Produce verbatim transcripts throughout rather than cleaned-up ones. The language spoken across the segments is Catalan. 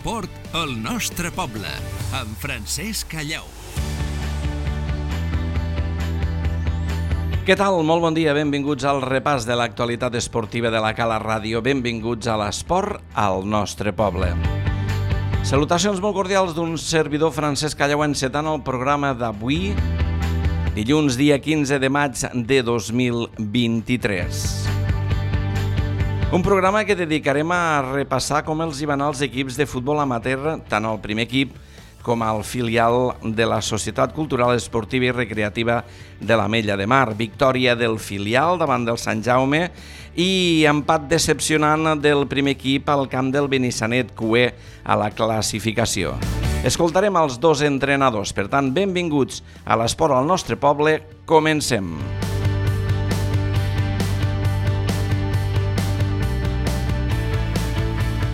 L'esport al nostre poble, amb Francesc Callau. Què tal? Molt bon dia, benvinguts al repàs de l'actualitat esportiva de la Cala Ràdio. Benvinguts a l'esport al nostre poble. Salutacions molt cordials d'un servidor Francesc Callau encetant el programa d'avui, dilluns dia quinze de maig de dos mil vint-i-tres. Un programa que dedicarem a repassar com els hi van als equips de futbol amateur, tant al primer equip com al filial de la Societat Cultural Esportiva i Recreativa de l'Ametlla de Mar. Victòria del filial davant del Sant Jaume i empat decepcionant del primer equip al camp del Benissanet cué a la classificació. Escoltarem els dos entrenadors, per tant, benvinguts a l'esport al nostre poble. Comencem.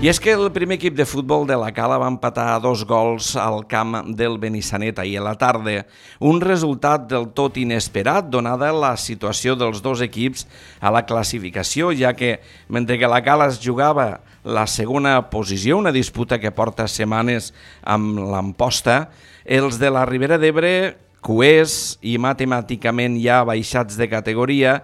I és que el primer equip de futbol de la Cala va empatar a dos gols al camp del Benissanet ahir a la tarda. Un resultat del tot inesperat, donada la situació dels dos equips a la classificació, ja que mentre que la Cala es jugava la segona posició, una disputa que porta setmanes amb l'Amposta, els de la Ribera d'Ebre, cuers i matemàticament ja baixats de categoria,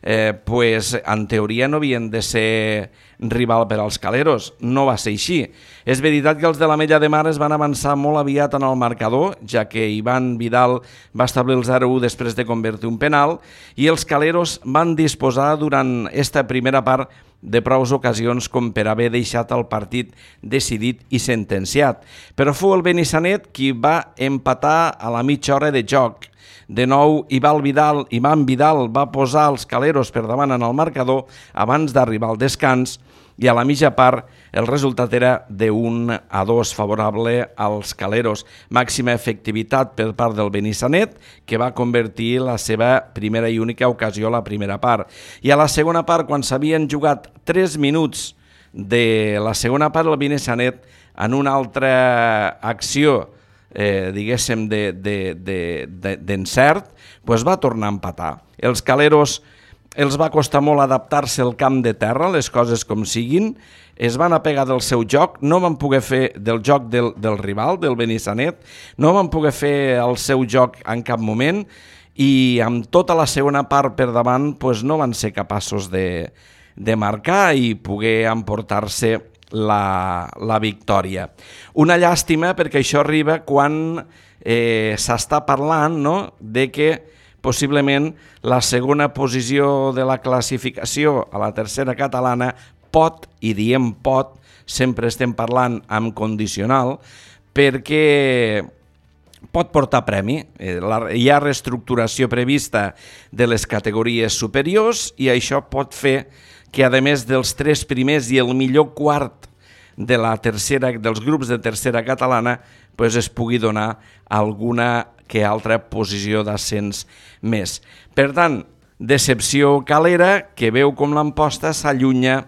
Eh, pues, en teoria no havien de ser rival per als caleros. No va ser així. És veritat que els de l'Ametlla de Mar es van avançar molt aviat en el marcador, ja que Ivan Vidal va establir el zero a u després de convertir un penal, i els caleros van disposar durant esta primera part de prous ocasions com per haver deixat el partit decidit i sentenciat. Però fou el Benissanet qui va empatar a la mitja hora de joc. De nou, Ivan Vidal, Ivan Vidal va posar els caleros per davant en el marcador abans d'arribar al descans i a la mitja part el resultat era de un a dos favorable als caleros. Màxima efectivitat per part del Benissanet, que va convertir la seva primera i única ocasió a la primera part. I a la segona part, quan s'havien jugat tres minuts de la segona part, el Benissanet, en una altra acció Eh, diguéssim, d'encert, de, de, de, de, pues va tornar a empatar. Els caleros els va costar molt adaptar-se al camp de terra, les coses com siguin, es van apegar del seu joc, no van poder fer del joc del, del rival, del Benissanet, no van poder fer el seu joc en cap moment i amb tota la segona part per davant pues no van ser capaços de, de marcar i poder emportar-se La, la victòria. Una llàstima perquè això arriba quan eh, s'està parlant, no?, de que possiblement la segona posició de la classificació a la tercera catalana pot, i diem pot, sempre estem parlant amb condicional, perquè pot portar premi. Eh, la, hi ha reestructuració prevista de les categories superiors i això pot fer que a més dels tres primers i el millor quart de la tercera, dels grups de tercera catalana pues es pugui donar alguna que altra posició d'ascens més. Per tant, decepció calera que veu com l'Amposta s'allunya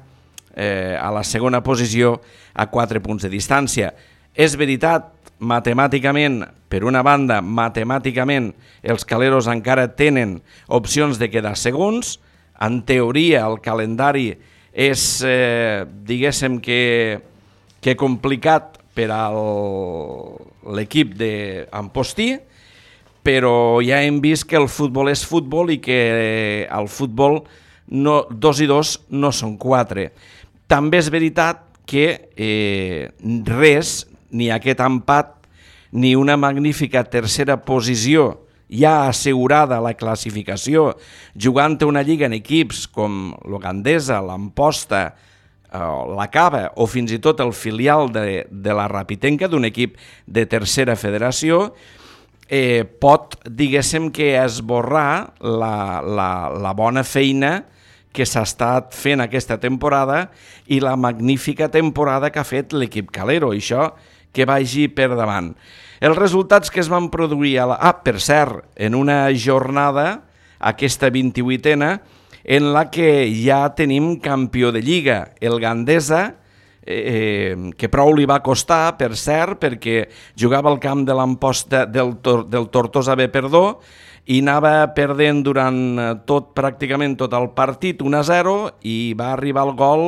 eh, a la segona posició a quatre punts de distància. És veritat, matemàticament, per una banda, matemàticament els caleros encara tenen opcions de quedar segons. En teoria, el calendari és, eh, diguéssim, que, que complicat per a l'equip d'Ampostí, però ja hem vist que el futbol és futbol i que el futbol no, dos i dos no són quatre. També és veritat que eh, res, ni aquest empat, ni una magnífica tercera posició ja assegurada la classificació, jugant una lliga en equips com l'Ogandesa, l'Amposta, eh, la Cava o fins i tot el filial de, de la Rapitenca, d'un equip de tercera federació, eh, pot, diguéssim, que esborrar la, la, la bona feina que s'ha estat fent aquesta temporada i la magnífica temporada que ha fet l'equip calero, això que vagi per davant. Els resultats que es van produir a la... Ah, per cert, en una jornada, aquesta vint-i-vuitena, en la que ja tenim campió de Lliga. El Gandesa eh, que prou li va costar, per cert, perquè jugava al camp de l'Amposta del, Tor del Tortosa B, perdó, i anava perdent durant tot, pràcticament tot el partit un a zero, i va arribar el gol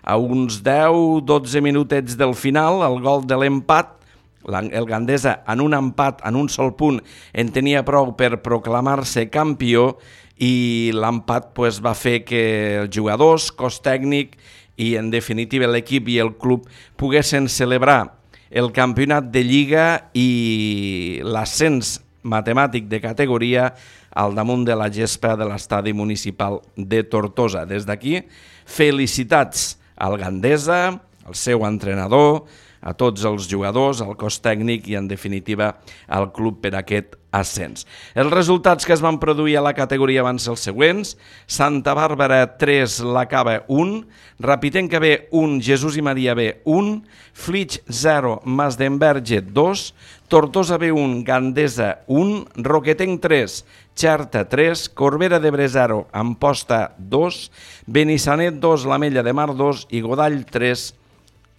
a uns deu dotze minutets del final, el gol de l'empat. El Gandesa, en un empat, en un sol punt, en tenia prou per proclamar-se campió, i l'empat pues, va fer que els jugadors, cos tècnic i, en definitiva, l'equip i el club poguessin celebrar el campionat de Lliga i l'ascens matemàtic de categoria al damunt de la gespa de l'estadi municipal de Tortosa. Des d'aquí, felicitats al Gandesa, al seu entrenador, a tots els jugadors, al cos tècnic i, en definitiva, al club per aquest ascens. Els resultats que es van produir a la categoria van ser els següents: Santa Bàrbara tres, la Cava un, Rapitenca B un, Jesús i Maria B un, Flix zero, Mas d'Enverge dos, Tortosa B un, Gandesa un, Roquetenc tres, Xerta tres, Corbera d'Ebre zero, Amposta dos, Benissanet dos, l'Ametlla de Mar dos i Godall tres,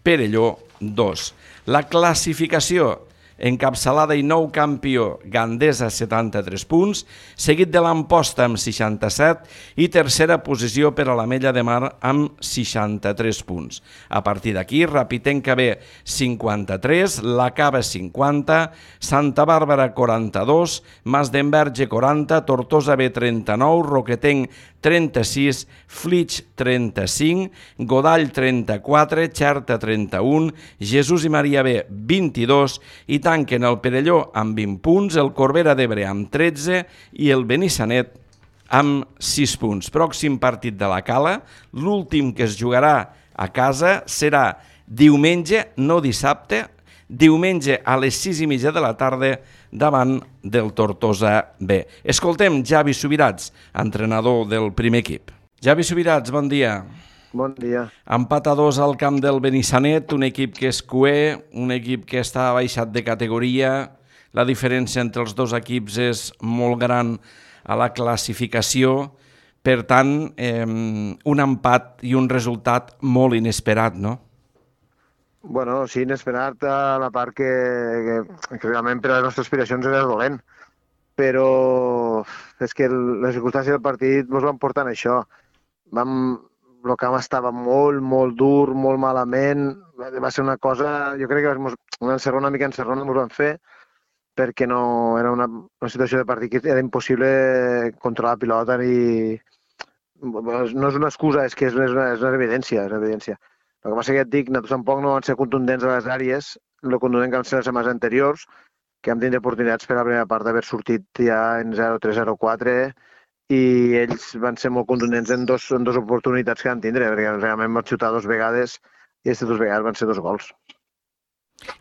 Perelló dos. La classificació: encapçalada i nou campió Gandesa, setanta-tres punts, seguit de l'Amposta amb seixanta-set i tercera posició per a l'Ametlla de Mar amb seixanta-tres punts. A partir d'aquí, Rapitenca B cinquanta-tres, la Cava cinquanta, Santa Bàrbara quaranta-dos, Mas d'Enverge quaranta, Tortosa B trenta-nou, Roquetenc trenta-sis, Flix trenta-cinc, Godall trenta-quatre, Xerta trenta-un, Jesús i Maria B vint-i-dos i tanquen el Perelló amb vint punts, el Corbera d'Ebre amb tretze i el Benissanet amb sis punts. Pròxim partit de la Cala, l'últim que es jugarà a casa, serà diumenge, no dissabte, diumenge a les sis i mitja de la tarda davant del Tortosa B. Escoltem Javi Subirats, entrenador del primer equip. Javi Subirats, bon dia. Bon dia. Empat a dos al camp del Benissanet, un equip que és cuer, un equip que està baixat de categoria. La diferència entre els dos equips és molt gran a la classificació. Per tant, eh, un empat i un resultat molt inesperat, no? Bueno, sí, inesperat a la part que, que, que realment per a les nostres aspiracions era dolent. Però és que les circumstàncies del partit ens van portar en això. Vam... El camp estava molt, molt dur, molt malament. Va ser una cosa, jo crec que una encerrona, una mica encerrona ens van fer, perquè no era una, una situació de partit que era impossible controlar la pilota i no és una excusa, és que és una, és una evidència, és una evidència. El que passa que ja et dic, nosaltres tampoc no van ser contundents a les àrees, el contundent que van ser les setmanes anteriors, que vam tindre oportunitats per a la primera part d'haver sortit ja en zero tres zero quatre, i ells van ser molt contundents en dos, en dos oportunitats que van tindre, perquè realment van xutar dues vegades i aquestes dues vegades van ser dos gols.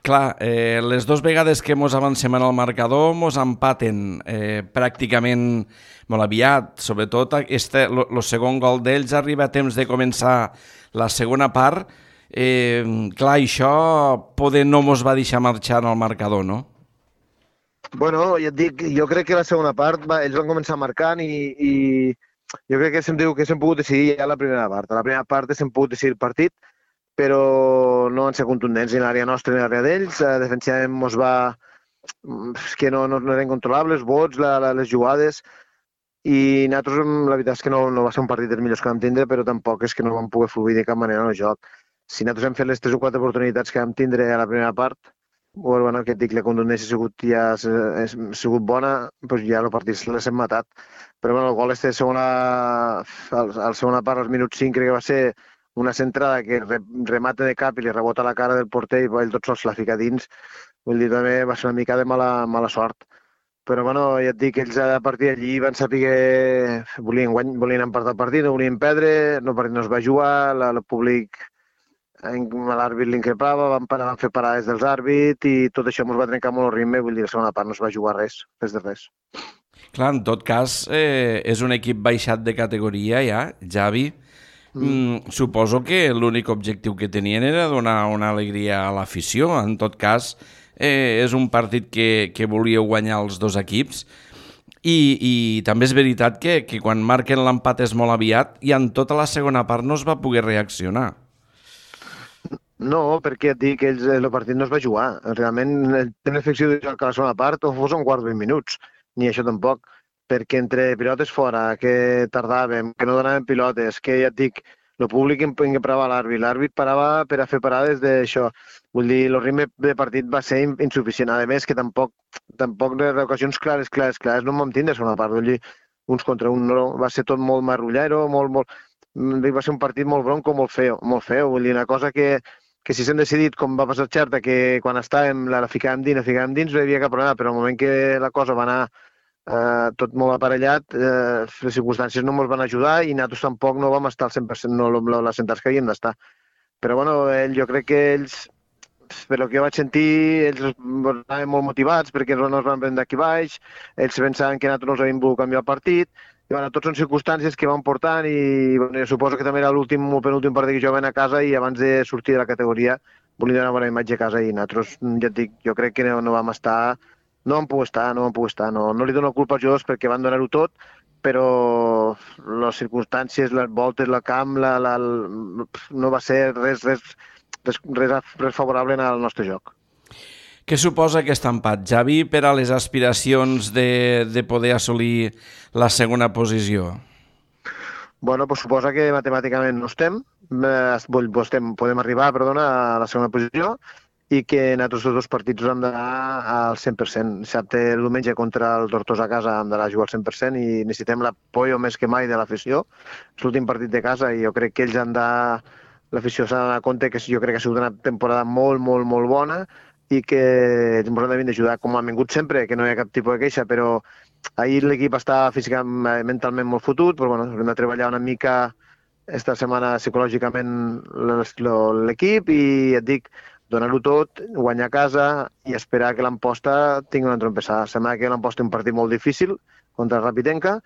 Clar, eh, les dues vegades que mos avancem en el marcador mos empaten eh, pràcticament molt aviat, sobretot este, lo, lo segon gol d'ells arriba a temps de començar la segona part. Eh, clar, això poder no mos va deixar marxar en el marcador, no? Bueno, ja et dic, jo crec que la segona part va, ells van començar marcant i, i jo crec que s'hem pogut decidir ja la primera part. A la primera part s'hem pogut decidir el partit, però no van ser contundents ni l'àrea nostra ni l'àrea d'ells. Defensivament mos va... És que no, no, no eren controlables, vots, la, la, les jugades, i nosaltres la veritat és que no, no va ser un partit dels millors que vam tindre, però tampoc és que no vam poder fluir de cap manera en el joc. Si nosaltres hem fet les tres o quatre oportunitats que vam tindre a la primera part, bueno, que et dic, la contundència ha sigut, ja, ha sigut bona, doncs ja el partit les hem matat. Però bueno, el gol este de segona, a la segona part, als minuts cinc, crec que va ser una centrada que remata de cap i li rebota a la cara del porter i ell tot sols la fica dins. Vull dir, també va ser una mica de mala, mala sort. Però bueno, ja et dic, ells a partir d'allí van saber que volien, guany, volien empatar el partit, no volien perdre, el partit no es va jugar, la, el públic... l'àrbit l'increpava, van, van fer parades dels àrbits i tot això ens va trencar molt el ritme, vull dir, la segona part no es va jugar res, res de res. Clar, en tot cas, eh, és un equip baixat de categoria ja, Javi. Mm. Mm, suposo que l'únic objectiu que tenien era donar una alegria a l'afició. En tot cas, eh, és un partit que, que volíeu guanyar els dos equips. I, i també és veritat que, que quan marquen l'empat és molt aviat i en tota la segona part no es va poder reaccionar. No, perquè et dic que ells, el partit no es va jugar. Realment tenen l'efecció de jugar a la segona part o fos un quart de vint minuts. Ni això tampoc. Perquè entre pilotes fora, que tardàvem, que no donàvem pilotes, que ja et dic, el públic en en què parava l'àrbit. L'àrbit parava per a fer parades d'això. Vull dir, el ritme de partit va ser in- insuficient. A més, que tampoc, tampoc de ocasions clares, clares, clares, no em vam tindre a segona part. Vull dir, uns contra un, no, va ser tot molt marrullero, molt, molt, mm, va ser un partit molt bronco, molt feo, molt feo. Vull dir, una cosa que, que si s'hem decidit, com va passar a Xerta, que quan estàvem la, la ficàvem dins, la ficàvem dins, no hi havia cap problema, però al moment que la cosa va anar eh, tot molt aparellat, eh, les circumstàncies no ens van ajudar i nosaltres tampoc no vam estar al cent per cent no, no, les centrals que havíem d'estar. Però bueno, ell, jo crec que ells, per el que jo vaig sentir, ells estaven molt motivats perquè no ens van prendre aquí baix, ells pensaven que nosaltres no els havíem volgut canviar el partit, i bueno, tots són circumstàncies que van portant i bueno, jo suposo que també era l'últim o penúltim partit que jugaven a casa i abans de sortir de la categoria volien donar una bona imatge a casa i nosaltres, ja et dic, jo crec que no, no vam estar, no vam poder estar, no vam poder estar, no, no li dono culpa als jugadors perquè van donar-ho tot, però les circumstàncies, les voltes, el camp, la, la, no va ser res, res, res, res, res favorable al nostre joc. Què suposa aquest empat, Javi, per a les aspiracions de, de poder assolir la segona posició? Bueno, pues suposa que matemàticament no estem, eh, estem podem arribar perdona, a la segona posició i que en altres dos partits hem d'anar al cent per cent. Dissabte, el diumenge contra el Tortosa a casa hem d'anar a jugar al cent per cent i necessitem l'apoyo més que mai de l'afició. És l'últim partit de casa i jo crec que ells han de... L'afició s'ha d'anar a compte que jo crec que ha sigut una temporada molt, molt, molt bona i que ens hem de d'ajudar com han vingut sempre, que no hi ha cap tipus de queixa, però ahir l'equip està físicament, mentalment molt fotut, però bueno, hem de treballar una mica esta setmana psicològicament l'equip i et dic, donar-ho tot, guanyar a casa i esperar que l'Amposta tingui una trompessada. Sembla que l'Amposta té un partit molt difícil contra el Rapitenca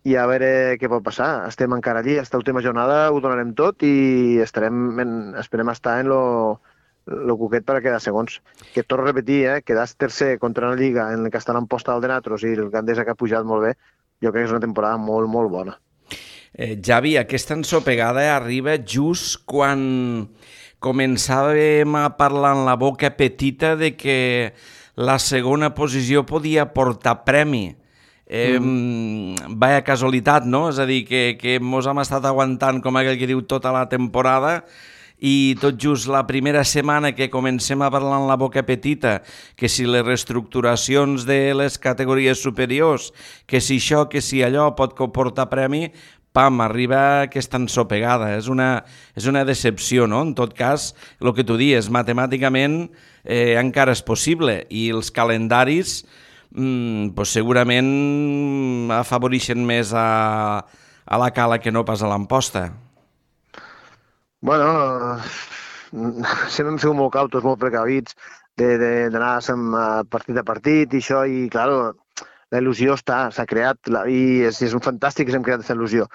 i a veure què pot passar. Estem encara allí, esta última jornada ho donarem tot i estarem en, esperem estar en lo, lo cuquet per a quedar segons. Que torno a repetir, eh, quedar tercer contra una lliga en què està l'Amposta del de Natros i el Gandesa que ha pujat molt bé, jo crec que és una temporada molt, molt bona. Eh, Javi, aquesta ensopegada arriba just quan començàvem a parlar en la boca petita de que la segona posició podia portar premi. Eh, mm. Vaya casualitat, no? És a dir, que, que mos hem estat aguantant, com aquell que diu, tota la temporada i tot just la primera setmana que comencem a parlar en la boca petita, que si les reestructuracions de les categories superiors, que si això, que si allò pot comportar premi, pam, arriba aquesta ensopegada. És una, és una decepció, no? En tot cas, el que tu dius, matemàticament eh, encara és possible i els calendaris mm, pues segurament afavoreixen més a, a la Cala que no pas a l'Amposta. Bueno, sempre hem sigut molt cautos, molt precavits d'anar partit a partit i això, i clar, la il·lusió està, s'ha creat i és, és un fantàstic que s'hem creat aquesta il·lusió.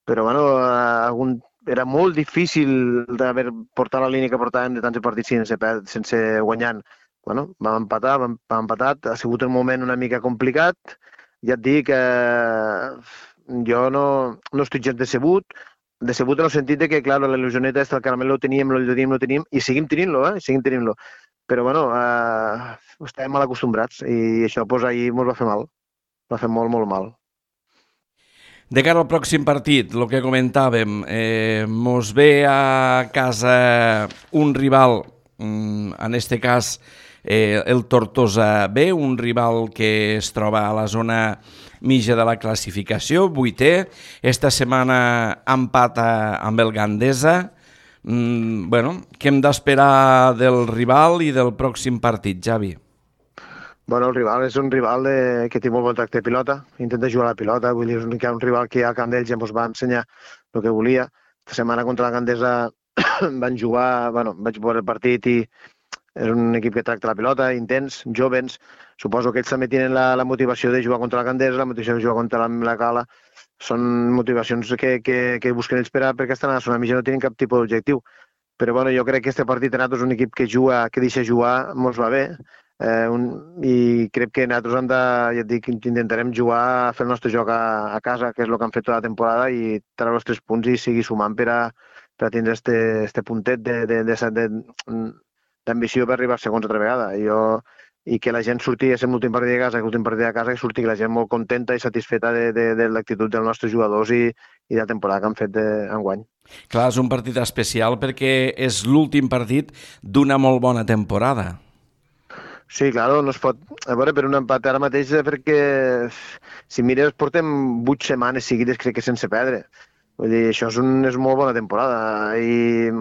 Però bueno, algun, era molt difícil d'haver portat la línia que portàvem de tants partits sense, sense guanyant. Bueno, vam empatar, vam, vam empatat, ha sigut un moment una mica complicat. Ja et dic que eh, jo no, no estic gens decebut, decebut en el sentit de que, clar, la il·lusioneta aquesta, el caramel lo teníem, lo teníem, lo teníem, i seguim tenint-lo, eh? Seguim tenint-lo. Però, bueno, eh, estàvem mal acostumbrats i això, doncs, ahir ens va fer mal. Va fer molt, molt mal. De cara al pròxim partit, el que comentàvem, eh, mos ve a casa un rival, en este cas eh, el Tortosa B, un rival que es troba a la zona mitja de la classificació, vuitè. Esta setmana empata amb el Gandesa. Mm, bueno, què hem d'esperar del rival i del pròxim partit, Javi? Bueno, el rival és un rival de, que té molt bon tracte de pilota, intenta jugar a la pilota, vull dir, és un, un rival que al camp d'ells ja ens va ensenyar el que volia. Esta setmana contra la Gandesa van jugar, bueno, vaig veure el partit i és un equip que tracta la pilota, intens, jovens. Suposo que ells també tenen la, la motivació de jugar contra la Gandesa, la motivació de jugar contra la, la Cala. Són motivacions que, que, que busquen ells per a, perquè estan a la zona mitja, no tenen cap tipus d'objectiu. Però bueno, jo crec que aquest partit nosaltres és un equip que juga, que deixa jugar, mos va bé. Eh, un, I crec que nosaltres hem de, ja et dic, intentarem jugar a fer el nostre joc a, a casa, que és el que han fet tota la temporada, i treure els tres punts i seguir sumant per a, per a tindre este, este puntet d'ambició per arribar a segons altra vegada. I, jo, i que la gent surti a ser l'últim partit de casa, que l'últim partit de casa, que surti la gent molt contenta i satisfeta de, de, de l'actitud dels nostres jugadors i, i de la temporada que han fet enguany. Clar, és un partit especial perquè és l'últim partit d'una molt bona temporada. Sí, clar, no es pot... A veure, per un empat ara mateix, perquè si mires, portem vuit setmanes seguides, crec que sense perdre. Vull dir, això és, un, és molt bona temporada i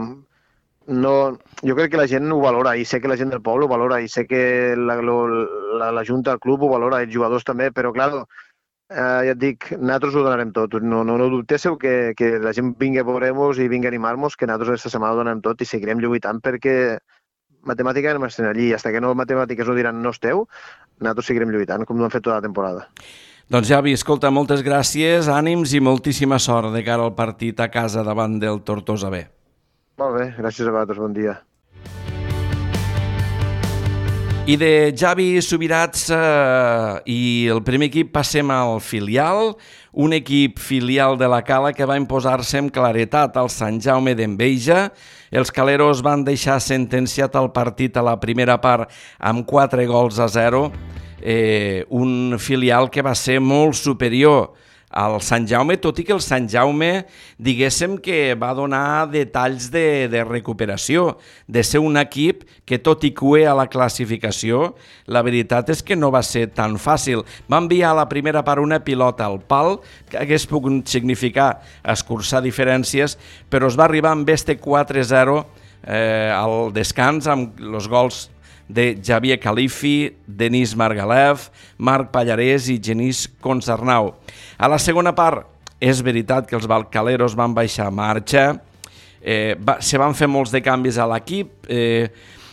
no, jo crec que la gent ho valora i sé que la gent del poble ho valora i sé que la, la, la Junta, el club ho valora, els jugadors també, però clar, eh, ja et dic, nosaltres ho donarem tot. No, no, no dubtéssiu que, que la gent vingui a veure-nos i vingui a animar-nos, que nosaltres aquesta setmana ho donarem tot i seguirem lluitant perquè matemàtica no estem allí. Fins que no matemàtiques no diran no esteu, nosaltres seguirem lluitant, com ho hem fet tota la temporada. Doncs Javi, escolta, moltes gràcies, ànims i moltíssima sort de cara al partit a casa davant del Tortosa B. Molt bé, gràcies a vosaltres, bon dia. I de Javi Subirats eh, i el primer equip passem al filial, un equip filial de la Cala que va imposar-se amb claretat al Sant Jaume d'Enveja. Els caleros van deixar sentenciat el partit a la primera part amb quatre gols a zero, eh, un filial que va ser molt superior al Sant Jaume, tot i que el Sant Jaume, diguéssim que va donar detalls de, de recuperació, de ser un equip que tot i cué a la classificació, la veritat és que no va ser tan fàcil. Va enviar a la primera part una pilota al pal, que hagués pogut significar escurçar diferències, però es va arribar amb este quatre zero eh, al descans, amb els gols de Javier Califi, Denis Margalef, Marc Pallarès i Genís Concernau. A la segona part, és veritat que els balcaleros van baixar a marxa, eh, va, se van fer molts de canvis a l'equip, eh,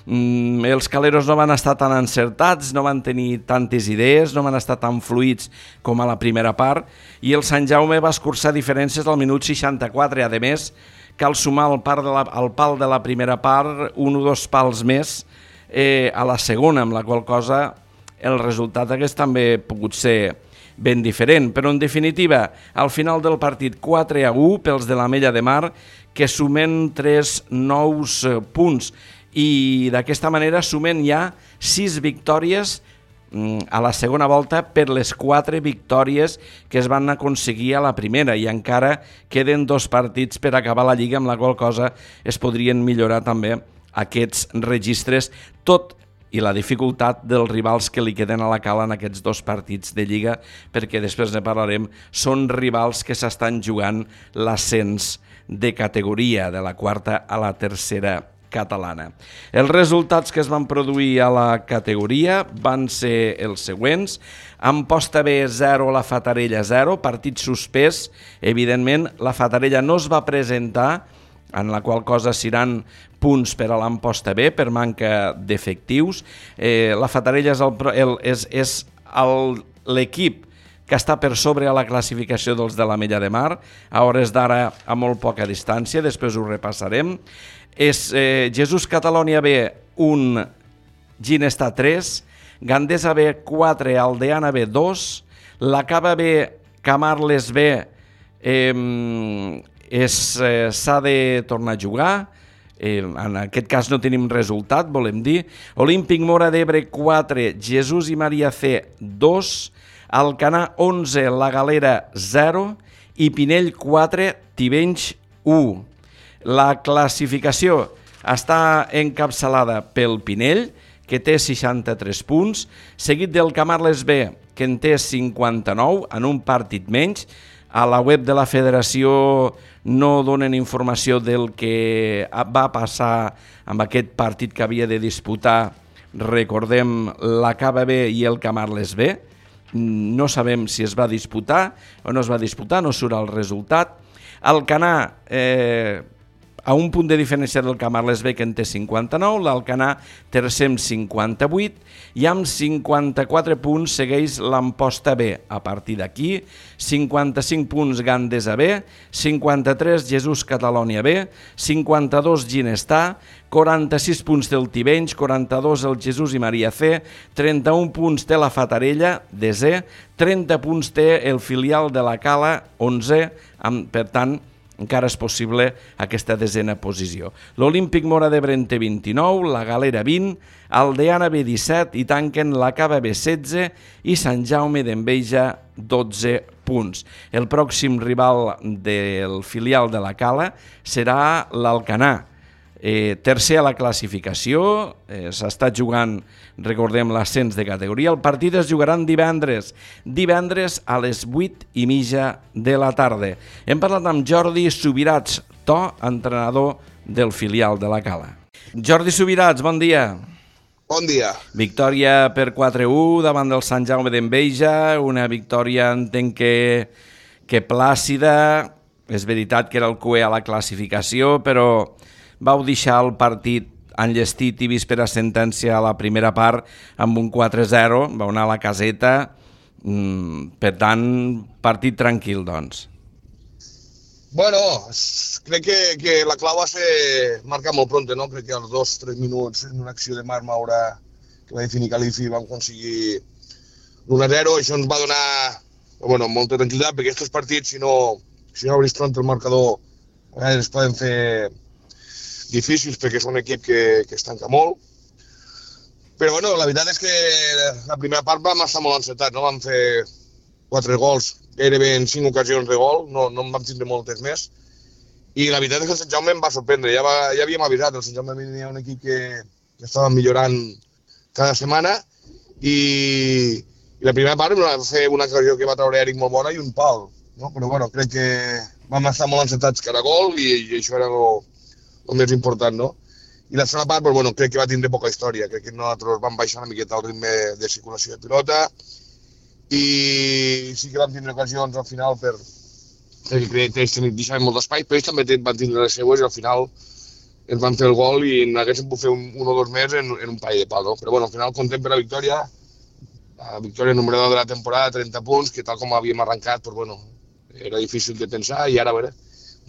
mm, els caleros no van estar tan encertats, no van tenir tantes idees, no van estar tan fluïts com a la primera part, i el Sant Jaume va escurçar diferències al minut seixanta-quatre. A més, cal sumar al, part de la, al pal de la primera part un o dos pals més, Eh, a la segona, amb la qual cosa el resultat hagués també pogut ser ben diferent, però en definitiva al final del partit quatre a u pels de l'Ametlla de Mar, que sumen tres nous punts i d'aquesta manera sumen ja sis victòries a la segona volta per les quatre victòries que es van aconseguir a la primera, i encara queden dos partits per acabar la Lliga, amb la qual cosa es podrien millorar també aquests registres, tot i la dificultat dels rivals que li queden a la Cala en aquests dos partits de Lliga, perquè després ne parlarem, són rivals que s'estan jugant l'ascens de categoria, de la quarta a la tercera catalana. Els resultats que es van produir a la categoria van ser els següents: Amposta B zero, la Fatarella zero, partit suspès, evidentment la Fatarella no es va presentar, en la qual cosa seran punts per a l'Amposta B per manca d'efectius. Eh, la Fatarella és, el, el, és, és el, l'equip que està per sobre a la classificació dels de l'Ametlla de Mar, a hores d'ara a molt poca distància, després ho repassarem. És eh, Jesús Catalònia B un, Ginestar tres, Gandesa B quatre, Aldeana B dos, la Cava B, Camarles B, eh, és, eh, s'ha de tornar a jugar, eh, en aquest cas no tenim resultat, volem dir. Olímpic Mora d'Ebre quatre, Jesús i Maria C dos, Alcanar onze, La Galera zero i Pinell quatre, Tivenys u. La classificació està encapçalada pel Pinell, que té seixanta-tres punts, seguit del Camarles B, que en té cinquanta-nou, en un partit menys. A la web de la federació no donen informació del que va passar amb aquest partit que havia de disputar, recordem, la Cava B i el Camarles B. No sabem si es va disputar o no es va disputar, no surt el resultat. Alcanar, eh, a un punt de diferència del Camarles B, que en té cinquanta-nou, l'Alcanar tercer amb cinquanta-vuit, i amb cinquanta-quatre punts segueix l'Amposta B. A partir d'aquí, cinquanta-cinc punts Gandesa B, cinquanta-tres Jesús Catalònia B, cinquanta-dos Ginestar, quaranta-sis punts té el Tivenys, quaranta-dos el Jesús i Maria C, trenta-un punts té la Fatarella, desè, trenta punts té el filial de la Cala, onzè, amb, per tant, encara és possible aquesta desena posició. L'Olímpic Móra d'Ebre en té vint-i-nou, la Galera vint, Aldeana B disset i tanquen la Cava B setze i Sant Jaume d'Enveja dotze punts. El pròxim rival del filial de la Cala serà l'Alcanar. Eh, tercer a la classificació, eh, s'està jugant, recordem, l'ascens de categoria. El partit es jugaran divendres, divendres a les vuit i mitja de la tarda. Hem parlat amb Jordi Subirats, To, entrenador del filial de la Cala. Jordi Subirats, bon dia. Bon dia. Victòria per quatre a u davant del Sant Jaume d'Enveja, una victòria, entenc que, que plàcida. És veritat que era el cué a la classificació, però vau deixar el partit enllestit i vist per a sentència a la primera part amb un quatre a zero, vau anar a la caseta, mm, per tant, partit tranquil, doncs. Bueno, crec que, que la clau va ser marcar molt pronte, no? Crec que als dos o tres minuts en una acció de Marc Maura que va definir Califi vam aconseguir l'u a zero, això ens va donar bueno, molta tranquil·litat, perquè aquests partits, si no, si no obris pronto el marcador, a vegades es poden fer difícils perquè és un equip que, que es tanca molt. Però bueno, la veritat és que la primera part vam estar molt encetats, no? Vam fer quatre gols, gairebé en cinc ocasions de gol, no, no en vam tindre moltes més. I la veritat és que el Sant Jaume em va sorprendre, ja, va, ja havíem avisat, el Sant Jaume venia un equip que, que estava millorant cada setmana i, i la primera part va fer una ocasió que va treure Eric molt bona i un pal, no? Però bueno, crec que vam estar molt encetats cada gol i, i això era el el més important, no? I la segona part, pues, bueno, crec que va tindre poca història. Crec que nosaltres vam baixar una miqueta el ritme de circulació de pilota i sí que vam tindre ocasions al final per... perquè crec que ells deixaven molt d'espai, però ells també van tindre les seues i al final ens van fer el gol i n'haguéssim pogut fer un, un o dos més en, en un parell de pal, no? Però bueno, al final contem per la victòria, la victòria número deu de la temporada, trenta punts, que tal com havíem arrencat, pues, bueno, era difícil de pensar i ara, a veure,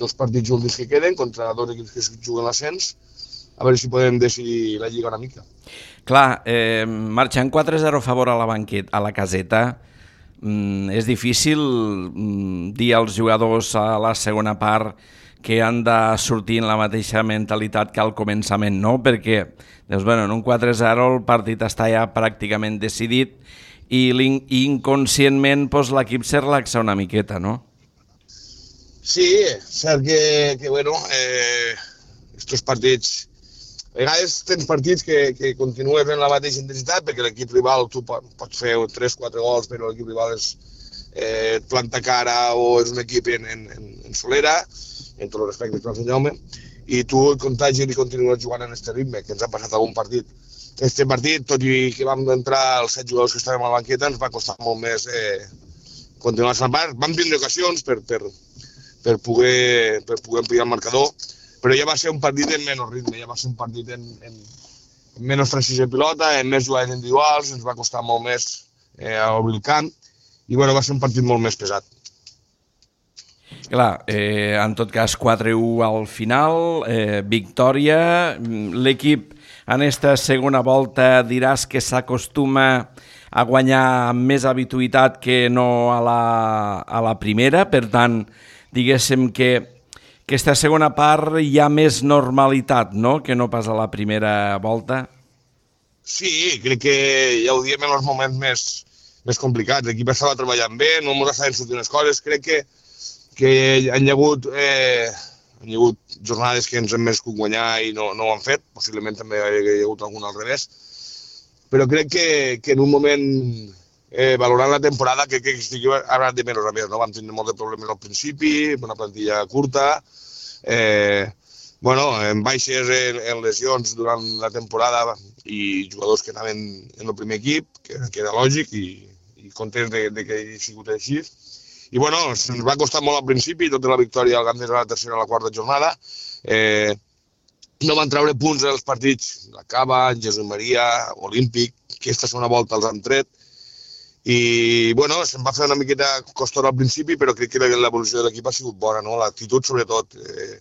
dos partits últims que queden contra dos equips que juguen l'ascens, a veure si podem decidir la lliga una mica. Clar, eh, marxant quatre a zero a favor a la banqueta, a la caseta, mm, és difícil mm, dir als jugadors a la segona part que han de sortir en la mateixa mentalitat que al començament, no? Perquè doncs, bueno, en un quatre a zero el partit està ja pràcticament decidit i inconscientment doncs, l'equip se relaxa una miqueta, no? Sí, cert que, que bueno, eh, estos partits, a vegades tens partits que, que continues en la mateixa intensitat perquè l'equip rival, tu pots fer tres o quatre gols, però l'equip rival és, eh, et planta cara o és un equip en, en, en solera, en tots els respectes per al Sant Jaume, i tu et contagis i continues jugant en aquest ritme, que ens ha passat algun partit. Este partit, tot i que vam entrar els set jugadors que estàvem a la banqueta, ens va costar molt més eh, continuar la part. Vam tindre ocasions per... per per poder, per poder ampliar el marcador, però ja va ser un partit en menys ritme, ja va ser un partit en, en, en menys precisió de pilota, en més jugades individuals, ens va costar molt més eh, obrir el camp, i bueno, va ser un partit molt més pesat. Clar, eh, en tot cas quatre a u al final, eh, victòria, l'equip en esta segona volta diràs que s'acostuma a guanyar amb més habituïtat que no a la, a la primera, per tant, diguéssim que aquesta segona part hi ha més normalitat, no?, que no pas a la primera volta. Sí, crec que ja ho diem en els moments més, més complicats. L'equip estava treballant bé, no ens estaven sortint les coses. Crec que, que han hi hagut, eh, han hi hagut jornades que ens hem merescut guanyar i no, no ho han fet. Possiblement també hi ha hagut algun al revés. Però crec que, que en un moment... Eh, valorant la temporada, crec que estigui anat de menys a més, no? Vam tenir molts de problemes al principi, una plantilla curta, eh, bueno, en baixes, en, en lesions durant la temporada i jugadors que anaven en el primer equip, que, que era lògic i, i contents de, de que hagi sigut així. I bueno, ens va costar molt al principi, tota la victòria al Gandés a la tercera i a la quarta jornada. Eh, no van treure punts en els partits, la Cava, Jesús Maria, Olímpic, que aquesta segona volta els han tret. I, bueno, se'm va fer una miqueta costor al principi, però crec que l'evolució de l'equip ha sigut bona, no? L'actitud, sobretot. Eh,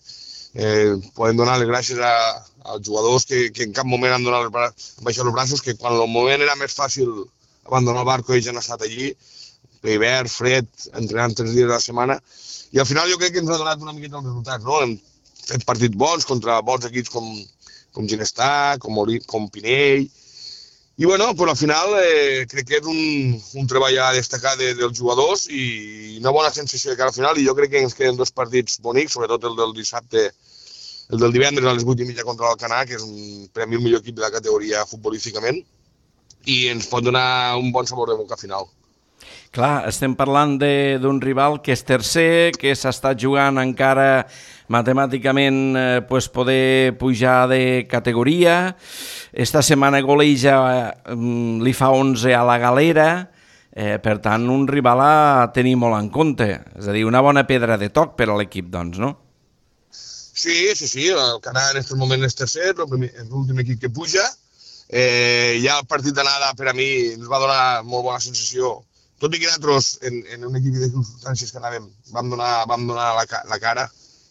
eh, podem donar les gràcies a, als jugadors que, que en cap moment han, donat les, han baixat els braços, que quan el moment era més fàcil abandonar el barco ells han estat allí, hivern, fred, entrenant tres dies a la setmana, i al final jo crec que ens ha donat una miqueta els resultats, no? Hem fet partits bons contra bons equips com, com Ginestà, com, Ori, com Pinell, i bueno, pues al final eh, crec que és un, un treball a destacar de, dels jugadors i una bona sensació de cara al final, i jo crec que ens queden dos partits bonics, sobretot el del dissabte, el del divendres a les vuit i mitja contra l'Alcanar, que és un premi al millor equip de la categoria futbolísticament, i ens pot donar un bon sabor de boca final. Clar, estem parlant d'un rival que és tercer, que s'està jugant encara matemàticament eh, pues poder pujar de categoria. Esta setmana Goleja eh, li fa onze a la Galera, eh, per tant un rival a tenir molt en compte, és a dir, una bona pedra de toc per a l'equip, doncs, no? Sí, sí, sí, el Canà en aquest moment és tercer, és l'últim equip que puja. Eh, ja el partit d'anada per a mi ens va donar molt bona sensació, tot i que nosaltres en, en un equip de circumstàncies que anàvem vam donar, vam donar la, la cara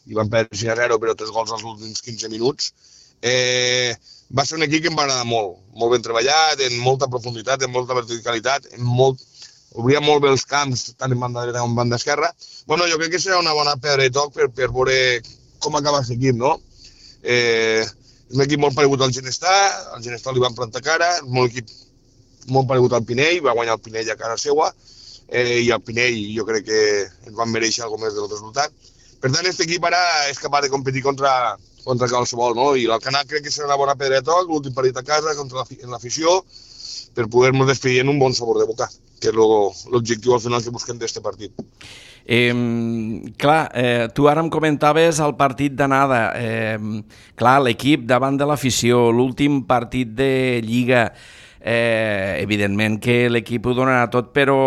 i vam perdre sis a zero, però tres gols als últims quinze minuts. Eh, va ser un equip que em va agradar molt, molt ben treballat, en molta profunditat, en molta verticalitat, en molt, obria molt bé els camps, tant en banda dreta com en banda esquerra. Bueno, jo crec que serà una bona pedra de toc per, per veure com acaba aquest equip, no? Eh, és un equip molt paregut al Ginestà, al Ginestà li van plantar cara, és un equip molt paregut al Pinell, va guanyar el Pinell a casa seva, eh, i el Pinell jo crec que ens van mereixer alguna més del resultat. Per tant, aquest equip ara és capaç de competir contra, contra qualsevol, no? I l'Alcanar crec que serà una bona pedra de toc, l'últim partit a casa contra l'afició, per poder-nos despedir en un bon sabor de boca, que és l'objectiu al final que busquem d'aquest partit. Eh, clar, eh, tu ara em comentaves el partit d'anada. Eh, clar, l'equip davant de l'afició, l'últim partit de Lliga, eh, evidentment que l'equip ho donarà tot, però,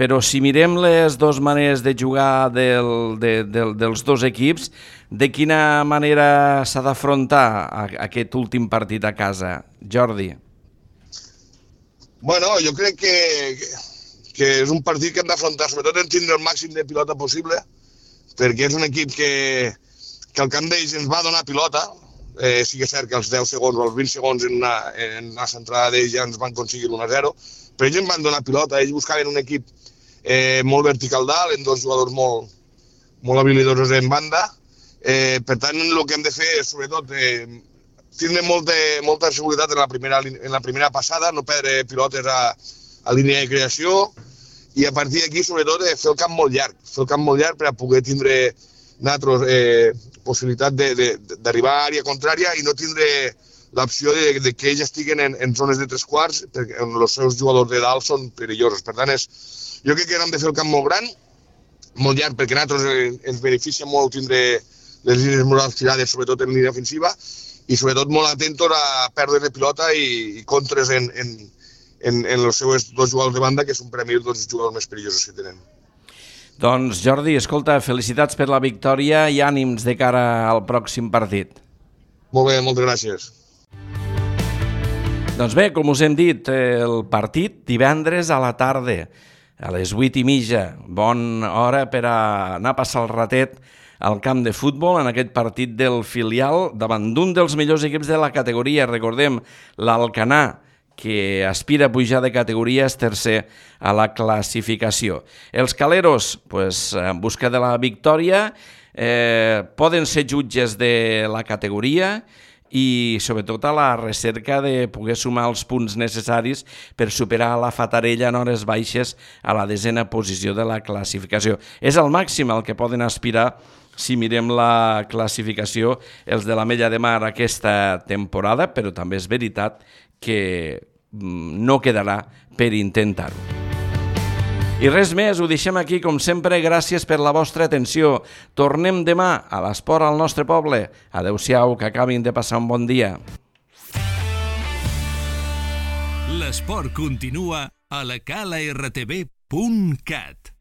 però si mirem les dues maneres de jugar del, de, del, dels dos equips, de quina manera s'ha d'afrontar aquest últim partit a casa, Jordi? Bueno, jo crec que, que, que és un partit que hem d'afrontar, sobretot en tindre el màxim de pilota possible, perquè és un equip que, que al camp d'ells ens va donar pilota. Eh, sí que és cert que els deu segons o els vint segons en una, en una centrada d'ells ja ens van aconseguir l'u a zero, però ells ens van donar pilota, ells buscaven un equip eh, molt vertical dalt, en dos jugadors molt, molt habilidosos en banda. Eh, per tant, el que hem de fer és, sobretot, eh, tindre molta, molta seguretat en la, primera, en la primera passada, no perdre pilotes a, a línia de creació, i a partir d'aquí, sobretot, eh, fer el camp molt llarg, fer el camp molt llarg per a poder tindre nosaltres eh, possibilitat d'arribar a àrea contrària i no tindre l'opció de, de que ells estiguen en, en zones de tres quarts, perquè els seus jugadors de dalt són perillosos. Per tant, és, jo crec que hem de fer el camp molt gran, molt llarg, perquè a nosaltres ens beneficia molt tindre les línies morals tirades, sobretot en línia ofensiva, i sobretot molt atentos a pèrdues de pilota i, i contres en, en, en, en els seus dos jugadors de banda, que són per a mi els dos jugadors més perillosos que tenen. Doncs Jordi, escolta, felicitats per la victòria i ànims de cara al pròxim partit. Molt bé, moltes gràcies. Doncs bé, com us hem dit, el partit divendres a la tarda, a les vuit i mitja, bona hora per a anar a passar el ratet al camp de futbol en aquest partit del filial davant d'un dels millors equips de la categoria. Recordem, l'Alcanar, que aspira a pujar de categoria, és tercer a la classificació. Els caleros, pues, en busca de la victòria, eh, poden ser jutges de la categoria i sobretot a la recerca de poder sumar els punts necessaris per superar la Fatarella en hores baixes a la desena posició de la classificació. És el màxim al que poden aspirar si mirem la classificació els de la Mella de Mar aquesta temporada, però també és veritat que no quedarà per intentar-ho. I res més, ho deixem aquí com sempre, gràcies per la vostra atenció. Tornem demà a l'Esport al nostre poble. Adéu-siau, que acabin de passar un bon dia. L'esport continua a la cala r t v punt cat.